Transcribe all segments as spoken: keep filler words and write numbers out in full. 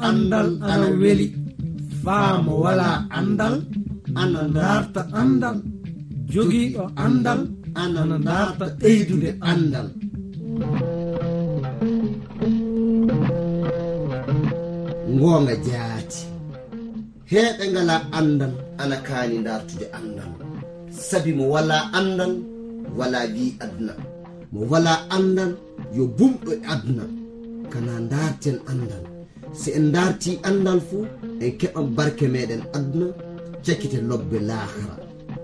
Anndal ana weli, faa mo walaa anndal, ana ndaarta anndal, jogiiɗo anndal, ana ndaarta ɓeydude anndal. Ngoonga jaati. Heeɓe ngalaa anndal, ana kaani ndaartude anndal. Sabi mo walaa anndal, walaa wii aduna. Mo walaa anndal, yo bumɗo e aduna. Kana ndaarten anndal. Si en ndaartii anndal fu, en keɓan barke meɗen aduna, cakite lobbe laakara.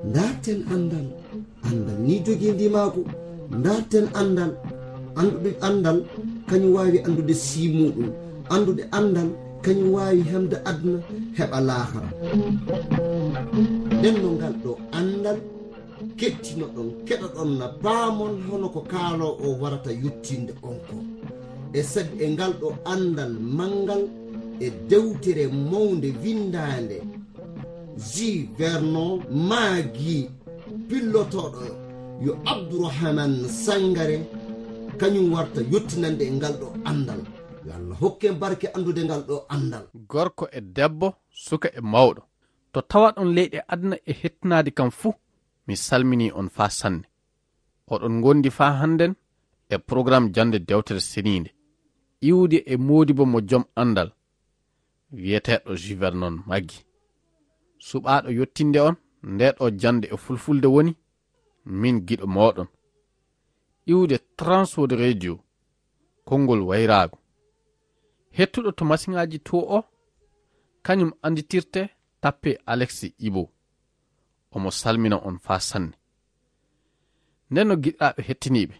Ndaarten anndal. Anndal ni jogii ndimaagu. Ndaarten anndal. Anndude anndal, kañum waawi anndude sii muuɗum. Anndude anndal, kañum waawi hemde aduna, heɓa laakara. Nden no ngal ɗo anndal kettinoɗon, keɗoɗon na paamon hono ko kaaloo o warata yottinde on ko. E sabi e ngal ɗo anndal manngal e dewtere mawnde winndaande Ji Vernon Maagi, pillotooɗo yo Abdourahmane Sangare, kañum warta yottinande e ngal ɗo anndal. Yo Allah hokken barke anndude ngal ɗo anndal. Gorko e debbo, suka e mawɗo, to tawaɗon leyɗe aduna e hettinaade kam fuu, mi salminii on faa sanne. Oɗon ngondi faa hannden e programme jannde dewtere seniinde, iwde e moodibo mo jom anndal, wiyeteeɗo Ji Vernon Maggi. Suɓaaɗo yottinde on ndee ɗo jannde e fulfulde woni min giɗo mooɗon, iwde Transworld Radio, konngol wayraagu. Hettuɗo to masiŋaaji to o, kañum annditirte tappe Alex Ibo. Omo salmina on faa sanne. Nden no giɗaaɓe hettiniiɓe,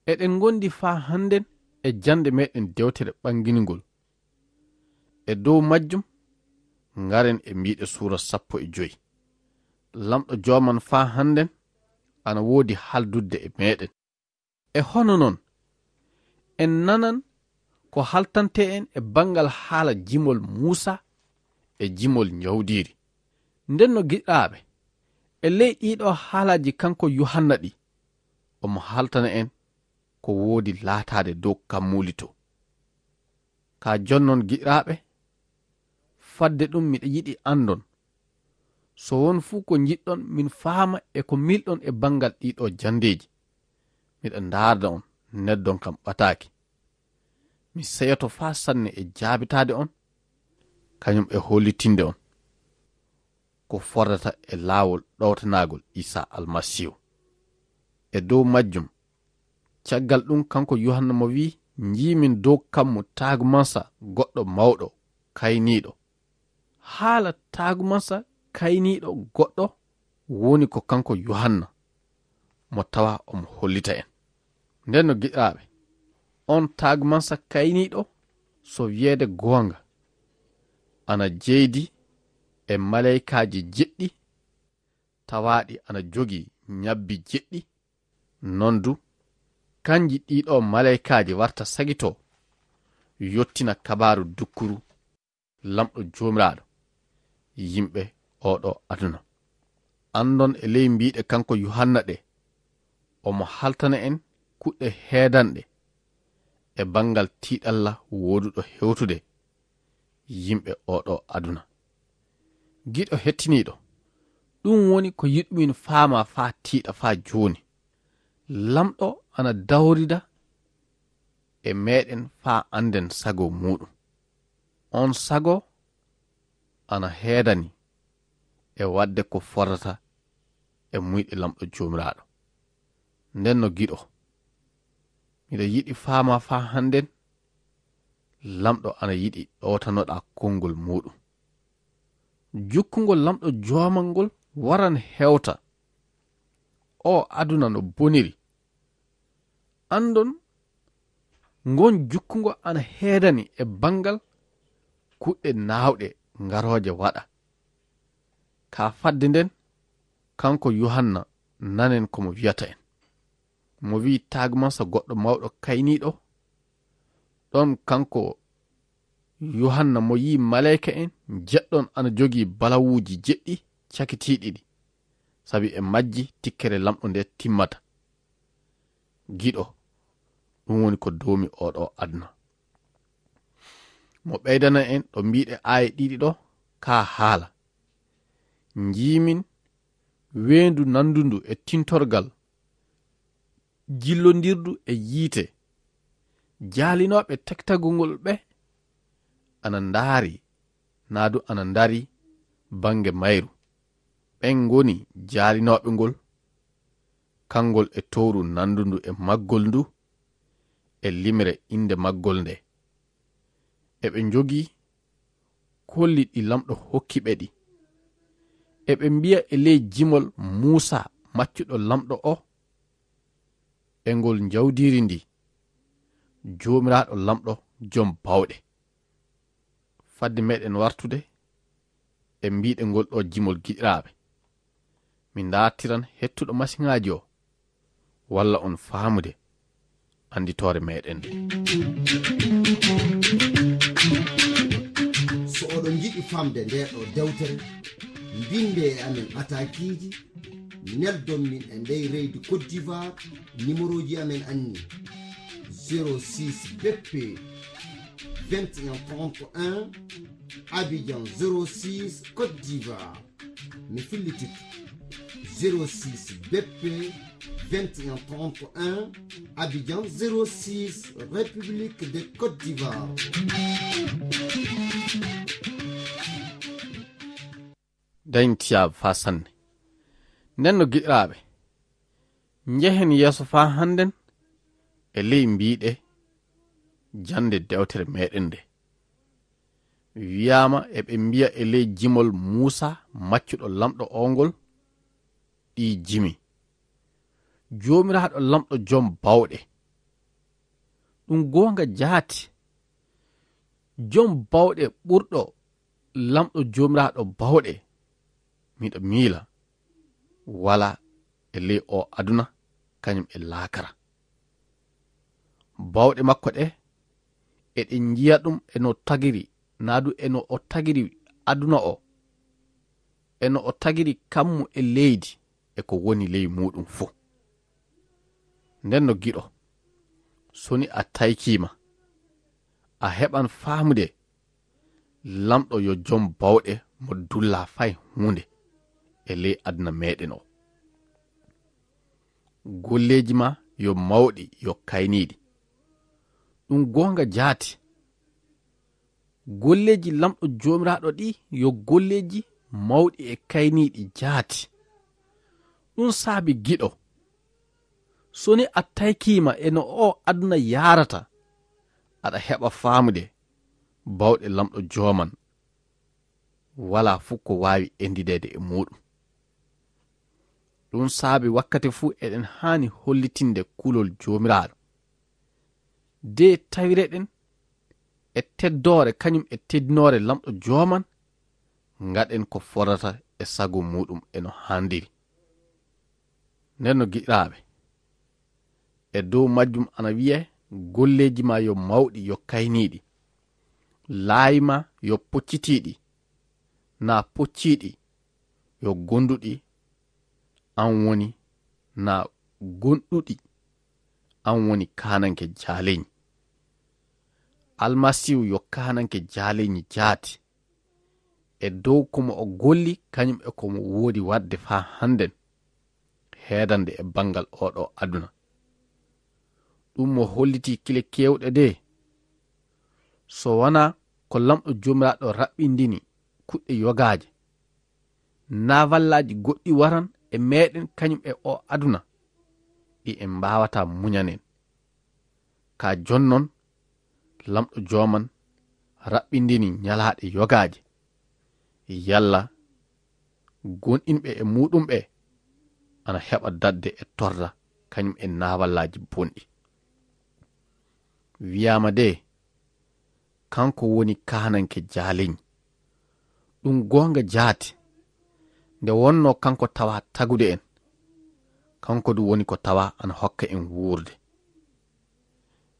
eɗen ngondi faa hannden e jannde meɗen dewtere ɓanginngol. E dow majjum, ngaren e mbiiɗe suura sappo e joy. Lamɗo jooman faa hannden ana woodi haaldudde e meɗen. E hono non, en nanan ko haltante en e banngal haala jimol Muusa e jimol Njawdiri. Nden no giɗaaɓe, e ley ɗiɗo haalaaji kanko Yuhanna ɗi, omo haltana en ko woodi laataade dow kammuuli to. Ka jonnon giɗaaɓe, fadde ɗum miɗa yiɗi anndon, so won fuu ko njiɗɗon min faama e ko miilɗon e banngal ɗiɗo janndeeji, miɗa ndaarda on, neddon kam ɓataaki. Mi seyoto faa sanne e jaabitaade on, kañum e hollitinde on ko fordata e laawol ɗowtanaagol Iisaa Almasiihu. E dow majjum, caggal ɗum kanko Yuhanna mo wi'i, njiimin dow kammu taagumansa goɗɗo mawɗo, kayniiɗo. Haala taagumansa kayniiɗo goɗɗo woni ko kanko Yuhanna, mo tawa omo hollita en. Nden no giɗaaɓe, on taagumansa kayniiɗo, so wiyeede goonga, ana jeydi e maleykaaji jeɗɗi, tawaaɗi ana jogii ñabbi jeɗɗi, non du, kanji ɗiɗo maleykaaji warta sagito, yottina kabaaru dukkuru Lamɗo Joomiraaɗo, yimɓe oɗo aduna. Anndon e ley mbiiɗe kanko Yuhanna ɗe, omo haltana en kuɗɗe heedanɗe e banngal tiiɗalla wooduɗo hewtude yimɓe oɗo aduna. Giɗo hettiniiɗo, ɗum woni ko yiɗumin faama faa tiiɗa faa jooni. Lamɗo ana dawrida e meɗen faa annden sago muuɗum. On sago ana heedani e waɗde ko fotata e muyɗe Lamɗo Joomiraaɗo. Nden no giɗo, miɗa yiɗi faama faa hannden, Lamɗo ana yiɗi ɗowtanoɗaa konngol muuɗum. Jukkungol Lamɗo Joomal ngol waran hewta o aduna no boniri. Anndon ngon jukkungo ana heedani e banngal kuɗɗe naawɗe ngarooje waɗa. Ka fadde nden, kanko Yuhanna, nanen ko mo wiyata en. Mo wi'i tagmansa goɗɗo mawɗo kayniiɗo, ɗon kanko Yuhanna mo yi'i maleyka en jeɗɗon ana jogii balawuuji jeɗɗi cakitiiɗi ɗi, sabi e majji tikkere Lamɗo nde timmata. Giɗo, ɗum woni ko doomi oɗo aduna. Mo ɓeydana en ɗo mbiɗe aaye ɗiɗi ɗo kaa haala. Njiimin weendu nanndundu e tintorgal, jillondirdu e yiite. Jaalinooɓe tektagol ngol ɓe ana ndaari, naa du ana ndaari bannge mayru. Ɓen ngoni jaalinooɓe ngol, kanngol e towru nanndundu e maggol ndu, e limre innde maggol nde. Eɓe njogii kolli ɗi Lamɗo hokki ɓe ɗi. Eɓe mbiya e ley jimol Muusaa, maccuɗo Lamɗo o, e ngol njawdiri ndi, Joomiraaɗo Lamɗo Jom Bawɗe. Fadde meɗen wartude e mbiɗe ngol ɗo jimol, giɗiraaɓe, mi ndaartiran hettuɗo masiŋaaji o, walla on faamude annditoore meɗen nde. So oɗon njiɗi famde nde ɗo dewtere, mbinde e amen atakiiji, neldon min e ndey reydi Côte d'Ivoire, numéroji amen anni: zéro six B P vingt et un trente et un, Abidjan zéro six, Côte d'Ivoire. Mi fillitito: zéro six B P vingt et un trente et un, Abidjan zéro six, République de Côte d'Ivoire. Dañtiyaaba faa sanne. Nden no giɗiraaɓe, njehen yeeso faa hannden e ley mbiɗe jannde dewtere meɗen nde. Wiyaama eɓe mbiya e ley jimol Muusaa, maccuɗo Lamɗo o ngol, ɗii jimi. Joomiraaɗo Lamɗo Jom Bawɗe. Ɗum goonga jaati. Jom Bawɗe ɓurɗo Lamɗo Joomiraaɗo Bawɗe, miɗo miila, walaa e ley o aduna, kañum e laakara. Bawɗe makko ɗe, eɗen njiya ɗum e no tagiri, naa du e no o tagiri aduna o, e no o tagiri kammu e leydi e ko woni ley muuɗum fuu. Nden no giɗo, so ni a taykiima, a heɓan faamude Lamɗo yo Jom Bawɗe mo dullaa fay huunde e ley aduna meɗen o. Golleeji maa yo mawɗi, yo kayniiɗi. Ɗum goonga jaati. Golleeji Lamɗo Joomiraaɗo ɗi yo golleeji mawɗi e kayniiɗi jaati. Ɗum saabi giɗo, so ni a taykiima e no o aduna yaarata, aɗa heɓa faamude bawɗe Lamɗo Jooman. Walaa fuu ko waawi endideede e muuɗum. Ɗum saabi wakkati fuu eɗen haani hollitinde kulol Joomiraaɗo. De tawireɗen e teddoore kañum e teddinoore Lamɗo Jooman, ngaɗen ko fodata e sago muuɗum e no haandiri. Nden no giɗiraaɓe, e dow majjum ana wi'ee, golleeji maa yo mawɗi, yo kayniiɗi. Laawi maa yo poccitiiɗi, naa pocciiɗi, yo gonduɗi an woni, naa gonduɗi an woni kaananke jaaleñi. Almasiihu yo kaananke jaaleñi jaati, e dow ko mo o golli, kañum e ko mo woodi waɗde faa hannden, heedande e banngal oo ɗoo aduna. Ɗum mo hollitii kile keewɗe de, so wanaa ko Lamɗo Joomiraaɗo raɓɓindini kuɗɗe yogaaje, naavallaaji goɗɗi waran e meeɗen kañum e oo aduna, ɗi en mbaawataa muñanen. Ka jonnon, Lamɗo Jooman raɓɓindini ñalaaɗe yogaaje, yalla gonɗinɓe e muuɗum ɓe ana heɓa daɗde e torra, kañum e naawallaaji bonɗi. Wiyaama de, kanko woni kaananke jaaleñi. Ɗum goonga jaati, nde wonnoo kanko tawaa tagude en, kanko du woni ko tawaa ana hokka en wuurde.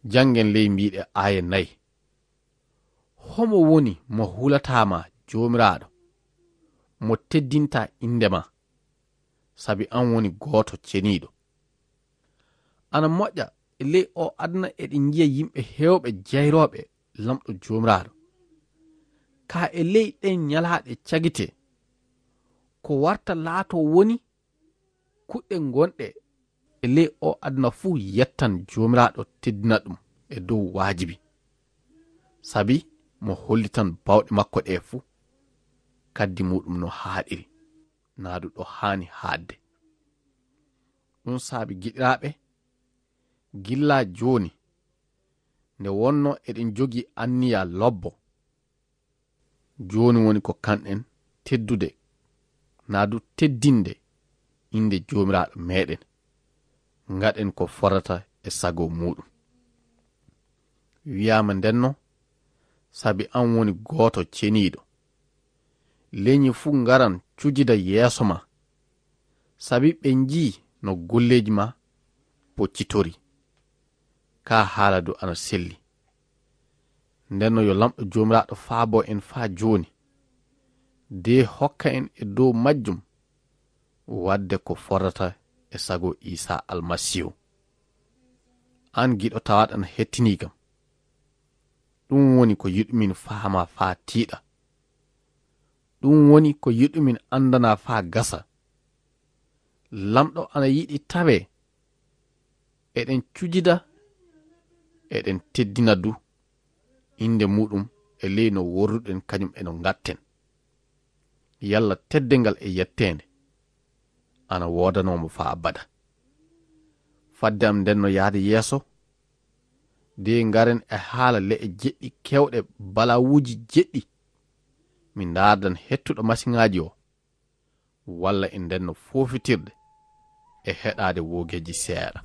Janngen ley mbiiɗe aaye nayi. Homo woni mo hulataa ma Joomiraaɗo, mo teddintaa innde ma, sabi an woni gooto ceniiɗo? Ana moƴƴa e ley oo aduna eɗen njiya yimɓe heewɓe jayrooɓe Lamɗo Joomiraaɗo, Kaa e ley ɗen ñalaaɗe cagitee, ko warta laatoo woni kuɗɗe gonɗe e ley oo aduna fuu yettan Joomiraaɗo, teddina ɗum e dow waajibi, sabi mo hollitan baawɗe makko ɗee fuu, kaddi muuɗum no haaɗiri, naa du ɗo haani haaɗde. Ɗum saabi, giɗiraaɓe, gilla jooni, nde wonnoo eɗen jogii anniya lobbo, jooni woni ko kanɗen teddude, naa du teddinde innde Joomiraaɗo meeɗen, ngaɗen ko fotata e sago muuɗum. Wiyaama ndenno, sabi an woni gooto ceniiɗo. Leñi fuu ngaran cujida yeeso ma, sabi ɓe njii no golleeji ma poccitori. Kaa haala du ana selli. Ndenno yo Laamɗo Joomiraaɗo faabo en faa jooni, de hokka en e dow majjum waɗde ko fotata e sago Iisaa Almasiihu. Aan giɗo tawaaɗo ana hettinii kam, ɗum woni ko yiɗumin faamaa faa tiiɗa. Ɗum woni ko yiɗumin anndana faa gasa. Laamɗo ana yiɗi tawee eɗen cujida, eɗen teddina du innde muuɗum e ley no worruɗen kañum e no ngatten. Yalla teddeengal e yetteende ana woodanoo mo faa abada. Fadde am ndenno yaade yeeso, de ngaren e haala le'e jeɗɗi keewɗe balawuuji jeɗɗi. Mi ndaardan hettuɗo masiŋaaji o, walla e ndenno foofitirde e heɗaade woogeeji seeɗa.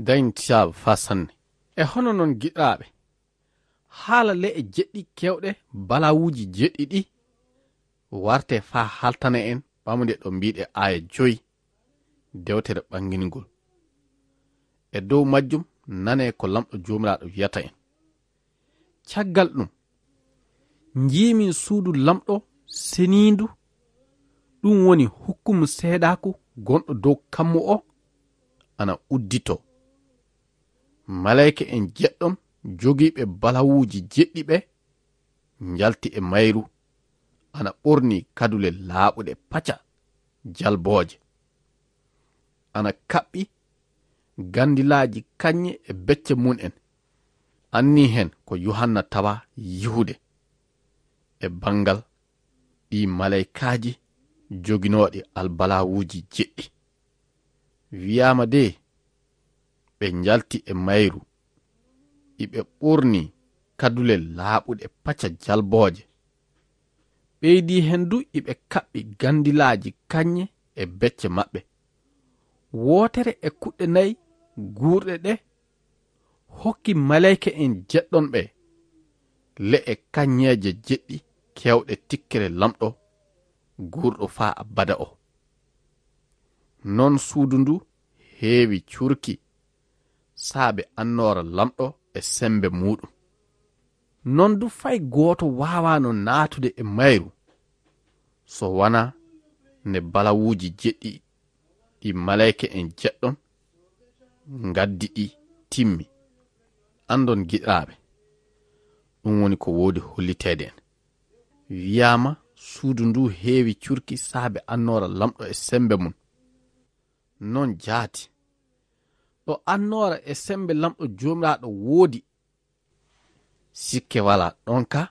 Dañ tiyaaba faa sanne. E hono non, giɗaaɓe, haala le'e jeɗɗi keewɗe balawuuji jeɗɗi ɗi, warte faa haltana en ɓamude ɗo mbiiɗe aaya joy dewtere ɓanginingol. E dow majjum, nanee ko Laamɗo Joomiraaɗo wiyata en. Caggal ɗum, njiimin suudu Laamɗo seniindu, ɗum woni hukkumu seedaaku gonɗo dow kammu o, ana udditoo. Maleyka en jeɗɗon jogiiɓe balawuuji jeɗɗi ɓe njalti e mayru, ana ɓornii kadule laaɓuɗe paca jalbooje. Ana kaɓɓi gandilaaji kañŋe e becce mum en. Annii heen ko Yuhanna tawaa yihude e banngal ɗii maleykaaji joginooɗi albalawuuji jeɗɗi. Wiyaama de, ɓe njalti e mayru, iɓe ɓornii kadule laaɓuɗe paca jalbooje. Ɓeydii heen du, iɓe kaɓɓi gandilaaji kañŋe e becce maɓɓe. Wootere e kuɗɗe nay guurɗe ɗe hokki maleyka en jeɗɗon ɓe le'e kañŋeeje jeɗɗi keewɗe tikkere Laamɗo guurɗo faa abada o. Non suudu ndu heewi cuurki saabe annoora Laamɗo e semmbe muuɗum. Non du fay gooto waawaano naatude e mayru, so wanaa nde balawuuji jeɗɗi ɗi maleyka en jeɗɗon ngaddi ɗi timmi. Anndon giɗiraaɓe, ɗum woni ko woodi holliteede en. Wiyaama suudu ndu heewi curki saabe annoora lamɗo e semmbe mum. Non jaati. Ɗo annoora e semmbe lamɗo Joomiraaɗo woodi, sikke walaa ɗon ka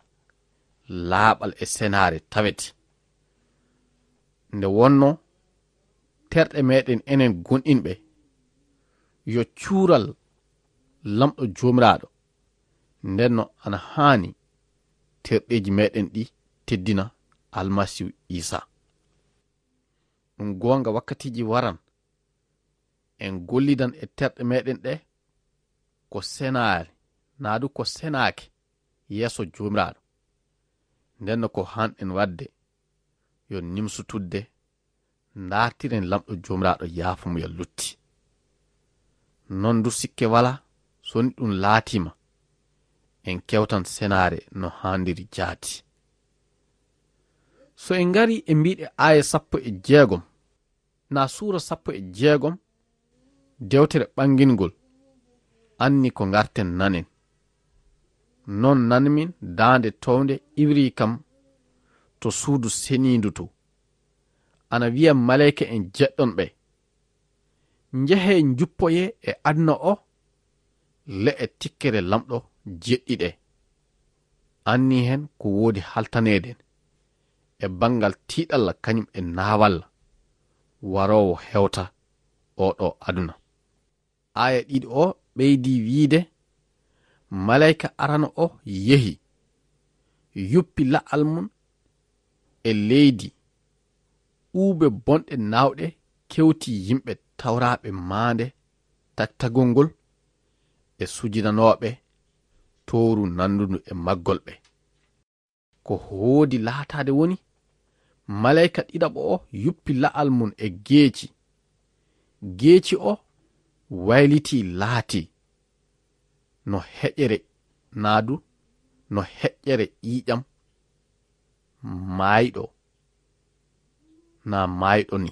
laaɓal e senaare tawete. Nde wonno terɗe meɗen enen gonɗinɓe, yo cuural lamɗo Joomiraaɗo, ndenno ana haani terɗeeji meɗen ɗi teddina Almasiihu Iisa. Ɗum goonga, wakkatiiji waran, en gollidan e terɗe meɗen ɗe ko senaare, naa du ko senaake yeeso Joomiraaɗo. Ndenno ko hanɗen waɗde, yo nimsu tudde, ndaartiren lamɗo Joomiraaɗo yaafo mo yo lutti. Non du sikke walaa, so ni ɗum laatiima, en kewtan senaare no haandiri jaati. So en ngari e mbiɗe aaya sappo e jeegom, naa suura sappo e jeegom, dewtere ɓangingol, anni ko ngarten nanen. Non nanmin daande townde iwri kam to suudu seniindu to, ana wiya maleyka en jeɗɗon ɓe, "Njehee njuppoyee e aduna o le'e tikkere lamɗo jeɗɗi ɗe." Anni hen ko woodi haltaneeden e banngal tiiɗalla kañum e naawalla waroowo hewta oo ɗoo aduna. Aaya ɗiɗo o ɓeydi wiide, "Maleyka arano o yehi, yuppi la'al mum e leydi, uube bonɗe naawɗe kewti yimɓe tawraaɓe maande taktagol ngol e sujinanooɓe tooru nandundu e maggol ɓe." Ko hoodi laataade woni, maleyka ɗiɗaɓo o yuppi la'al mum e geeci. Geeci o waylitii laatii no heƴere naa du no heƴere ƴiiƴam maayɗo naa maayɗo ni.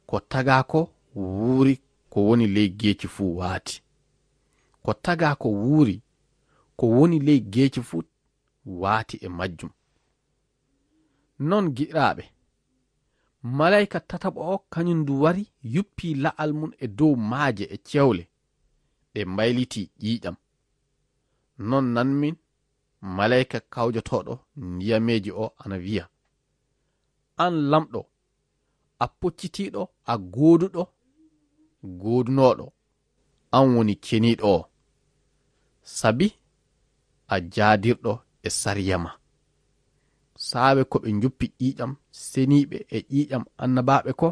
Ko tagaa ko wuuri ko woni ley geeci fuu waati. Ko tagaa ko wuuri ko woni ley geeci fuu waati e majjum. Non giɗiraaɓe, maleyka tataɓo o kañum ndu wari yuppi la'al mum e dow maaje e cewle, ɗe mbaylitii ƴiiƴam. Non nanmin maleyka kawjotooɗo ndiyameeji o ana wiya, "An lamɗo, a poccitiiɗo, a gooduɗo, goodunooɗo, an woni ceniiɗo o, sabi a jaadirɗo e sariya ma. Saabe ko ɓe njuppi ƴiiƴam seniiɓe e ƴiiƴam annabaaɓe ko,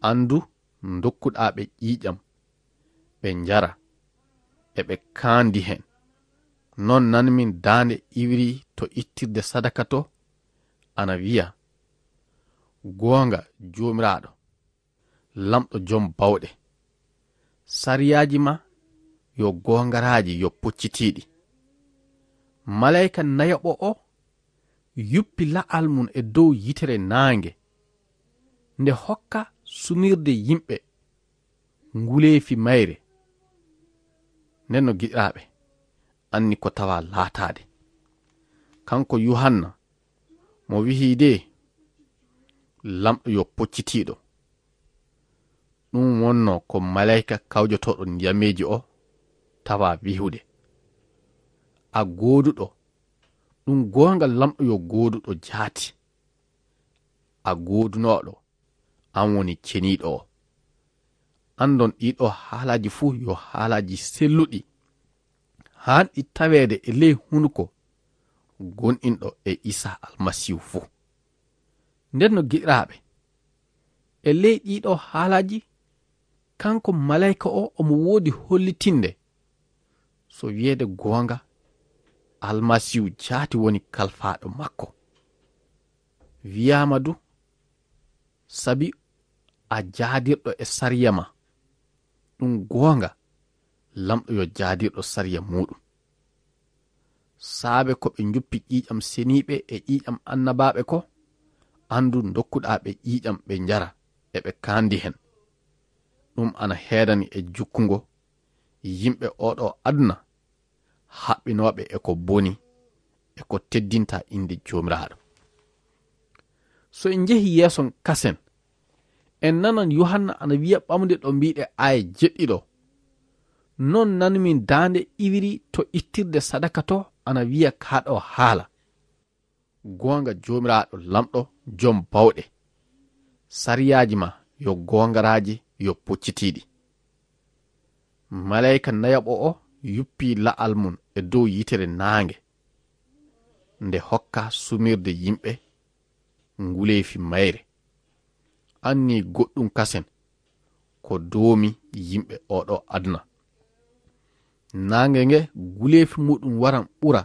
an du ndokkuɗaa ɓe ƴiiƴam, ɓe njara, eɓe kaandi hen." Non nanmin daande iwri to ittirde sadaka to, ana wiya, "Goonga Joomiraaɗo, lamɗo jom bawɗe, sariyaaji ma yo goongaraaji, yo poccitiiɗi." Maleyka nayaɓo o yuppi la'al mum e dow yitere naange, nde hokka sumirde yimɓe nguleefi mayre. Nden no giɗiraaɓe, anni ko tawa laataade. Kanko Yuhanna, mo wihi de, "Lamɗo yo poccitiiɗo." Ɗum wonno ko maleyka kawjotooɗo ndiyameeji o tawa wihude, "A gooduɗo." Ɗum goonga, lamɗo yo gooduɗo jaati. A goodunooɗo, an woni ceniiɗo o. Andon ɗiɗo haalaaji fuu yo haalaaji selluɗi, haanɗi taweede e ley hunuko gonɗinɗo e Iisaa Almasiihu fuu. Nden no giɗiraaɓe, e ley ɗiɗo haalaaji, kanko maleyka o omo woodi hollitinde, so wiyeede goonga, Almasiihu jaati woni kalfaaɗo makko. Wiyaama du, "Sabi a jaadirɗo e sariya ma." Ɗum goonga, lamɗo yo jaadirɗo sariya muuɗum. Saabe ko ɓe njuppi ƴiiƴam seniiɓe e ƴiiƴam annabaaɓe ko, aan du ndokkuɗaa ɓe ƴiiƴam ɓe njara, eɓe kaandi heen. Ɗum ana heedani e jukkungo yimɓe oo ɗoo aduna, haɓɓinooɓe e ko boni, e ko teddinta innde Joomiraaɗo. So en njehi yeeso kasen, en nanan Yuhanna ana wiya ɓamde ɗo mbiɗe aaya jeɗɗi ɗo, "Non nanmi daande iwiri to ittirde sadaka to ana wiya kaa ɗo haala, 'Goonga Joomiraaɗo Laamɗo Jom Bawɗe, sariyaaji ma yo goongaraaji, yo poccitiiɗi.'" Maleyka nayaɓo o yuppi la'al mum e dow yitere naange, nde hokka sumirde yimɓe nguleefi mayre. Anni goɗɗum kasen ko doomi yimɓe oo ɗoo aduna. Naange nge nguleefi muɗum waran ɓura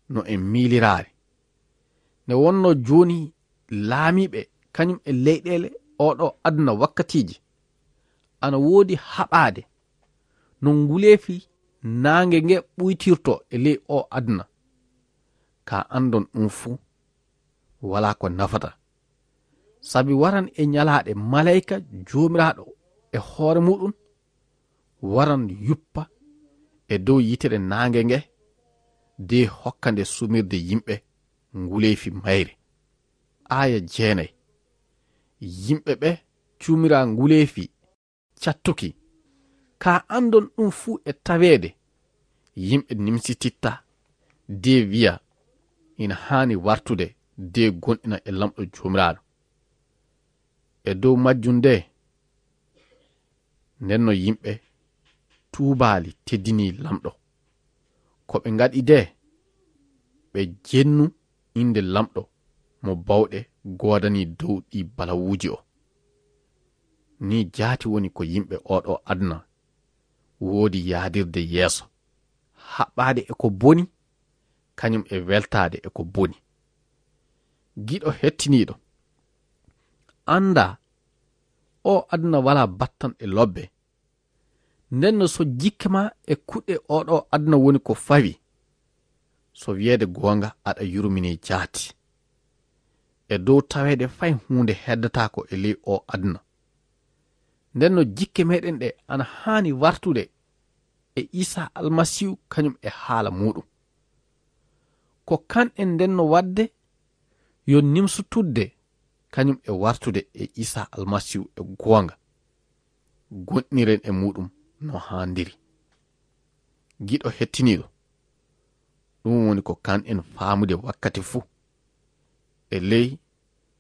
no e miiliraare. Nde wonno jooni laamiiɓe kañum e leyɗeele oo ɗoo aduna wakkatiiji, ana woodi haɓaade no nguleefi naange nge ɓuytirto e ley oo aduna. Ka anndon ɗum fuu, walaa ko nafata. Sabi waran e ñalaaɗe maleyka Joomiraaɗo e hoore muɗum waran yuppa e dow yitere naange nge, de hokka nde sumirde yimɓe nguleefi mayre. Aaya jeenay. Yimɓe ɓe cumira nguleefi cattuki. Ka anndon ɗum fuu e taweede, yimɓe nimsititta, de wiya, "Ina haani wartude, de gonɗina e Laamɗo Joomiraaɗo." E dow majjum de, nden no yimɓe tuubaali teddini Laamɗo. Ko ɓe ngaɗi de, ɓe jennu innde Laamɗo mo bawɗe goodani dow ɗi balawuuji o. Ni jaati woni ko yimɓe oo ɗoo aduna woodi yaadirde yeeso, haɓɓaade e ko boni, kañum e weltaade e ko boni. Giɗo hettiniiɗo, anndaa oo aduna walaa battanɗe lobbe. Nden no so jikke ma e kuɗɗe oo ɗoo aduna woni ko fawi, so wiyeede goonga aɗa yurminee jaati. E dow taweede fay huunde heddataako e ley oo aduna. Nden no jikke meɗen ɗe ana haani wartude e Iisaa Almasiihu kañum e haala muuɗum. Ko kanɗen nden no waɗde yo nimsutudde kañum e wartude e Iisaa Almasiihu e goonga. Gonɗiniren e muuɗum no haandiri. Giɗo hettiniiɗo, ɗum woni ko kanɗen faamude wakkati fuu, e ley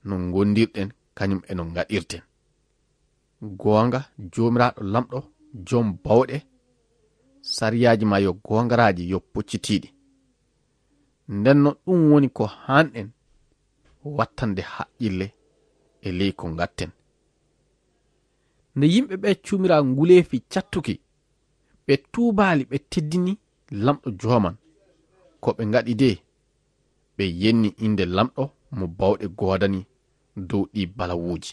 no ngondirɗen kañum e no ngaɗirten. Goonga, Joomiraaɗo Laamɗo, Jom Bawɗe, sariyaaji ma yo goongaraaji, yo poccitiiɗi. Nden no ɗum woni ko haanɗen wattande haqqille e ley ko ngatten. Nde yimɓe ɓe cumira nguleefi cattuki, ɓe tuubaali, ɓe teddini Laamɗo Jooman. Ko ɓe ngaɗi de, ɓe yenni innde Laamɗo mo bawɗe goodani dow ɗi balawuuji.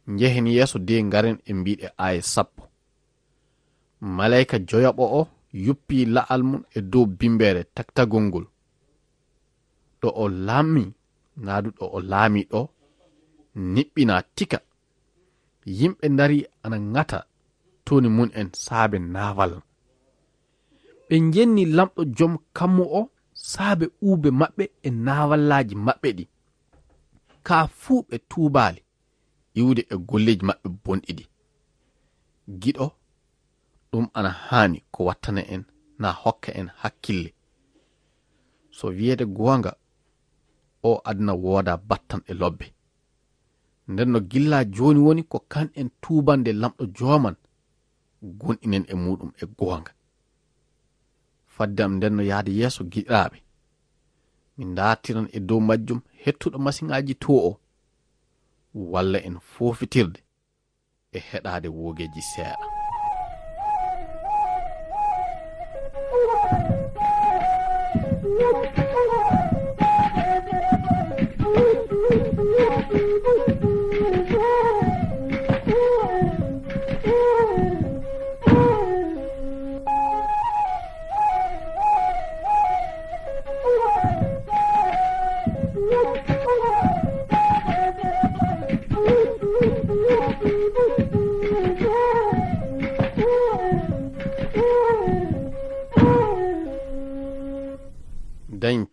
Njehen yeeso de ngaren e mbiɗe aaya sappo. Maleyka joyaɓo o yuppi la'al mum e dow bimbeere taktagol ngol. Ɗo o laami, naa du ɗo o laami ɗo, niɓɓina tika. Yimɓe ndari ana ŋata toni mum en saabe naawal. Ɓe njenni Laamɗo Jom Kammu o saabe uube maɓɓe e naawallaaji maɓɓe ɗi. Kaa fuu ɓe tuubaali iwde e golleeji maɓɓe bonɗi ɗi. Giɗo, ɗum ana haani ko wattana en, na hokka en hakkille. So wiyeede goonga, o aduna wooda battanɗe lobbe. Nden no gilla jooni woni ko kanɗen tuubande Laamɗo Jooman, gonɗinen e muuɗum e goonga. Fadde am nden no yaade yeeso, giɗiraaɓe, mi ndaartiran e dow majjum hettuɗo masiŋaaji to o, walla en foofitirde e heɗaade woogeeji seeɗa.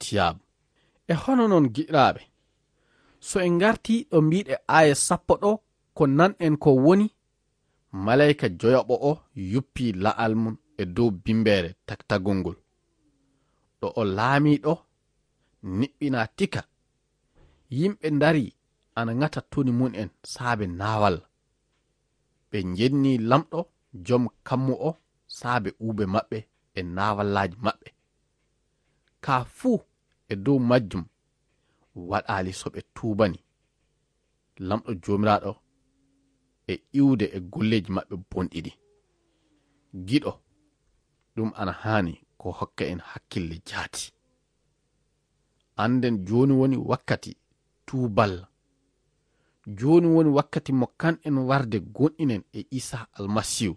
Siyaabu. E hono noon, giɗiraaɓe, so en ngartii ɗo mbiɗe aaya sappo ɗo, ko nan en ko woni, maleyka joyaɓo o yuppi la'al mum e dow bimbeere tagtagol ngol. Ɗo o laamii ɗo, niɓɓinaa tika. Yimɓe ndarii ana ŋata toni mum en saabe naawalla. Ɓe njennii Laamɗo jom kammu o saabe uube maɓɓe e naawallaaji maɓɓe. Ka fuu e dow majjum waɗaali so ɓe tuubani Laamɗo Joomiraaɗo e iwde e golleeji maɓɓe bonɗi ɗi. Giɗo, ɗum ana haani ko hokka en hakkille jaati. Annden jooni woni wakkati tuuballa. Jooni woni wakkati mo kan en warde gonɗinen e Iisaa Almasiihu.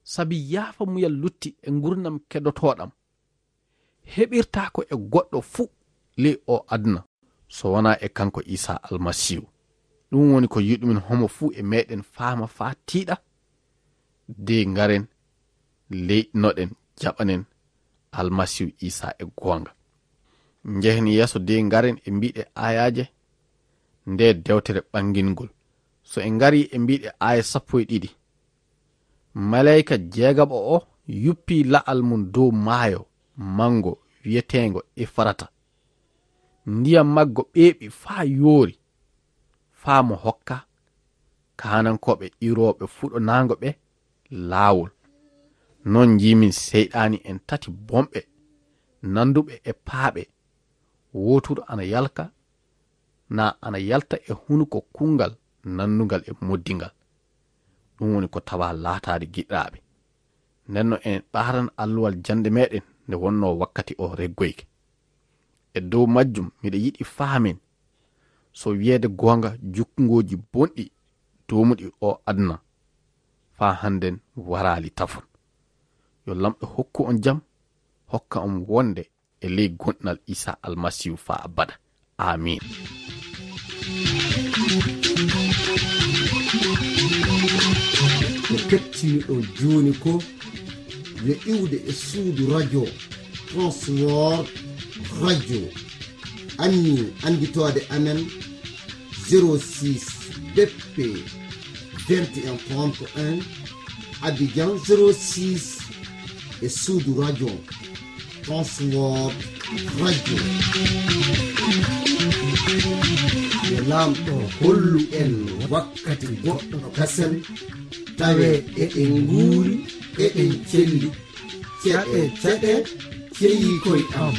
Sabi yaafa muyal lutti e ngurnam keddotooɗam heɓirtaako e goɗɗo fuu ley o aduna, so wonaa e kanko Iisaa Almasiihu. Ɗum woni ko yiɗumin homo fuu e meɗen faama faa tiiɗa, de ngaren leyɗinoɗen, jaɓanen Almasiihu Iisaa e goonga. Njehen yeeso de ngaren e mbiɗe aayaaje nde dewtere ɓangingol. So en ngarii e mbiɗe aaya sappo e ɗiɗi, maleyka jeegaɓo o yuppi la'al mum dow maayo manngo wiyeteengo Efrata. Ndiyam maggo ɓeeɓi faa yoori, faa mo hokka kaanankooɓe iwrooɓe fuɗonaango ɓe laawol. Noon njiimin seyɗaani en tati bonɓe, nannduɓe e paaɓe, wooturu ana yalka, na ana yalta e hunuko kunngal nanndungal e moddingal. Ɗum woni ko tawaa laataade giɗiraaɓe. Nden no en ɓaaran alluwal jannde meɗen nde wonnoo wakkati o reggoyke. E dow majjum, miɗa yiɗi faamen, so wiyeede goonga, jukkungooji bonɗi doomuɗi o aduna faa hannden waraali tafon. Yo Laamɗo hokku on jam, hokka on wonde e ley gonɗinal Iisaa Almasiihu faa abada. Aamiin. Ko kettiniɗon jooni ko yo iwde e suudu radio Transworld Radio. Anni annditoode amen, zéro six B P vingt et un trente et un, Abidjan zéro six, e suudu radio Transworld Radio. Yo Laamɗo hollu en wakkati goɗɗo kasen, tawe eɗen nguuri, eɗen celli. Ceɗe, ceɗe, ceyi koy am.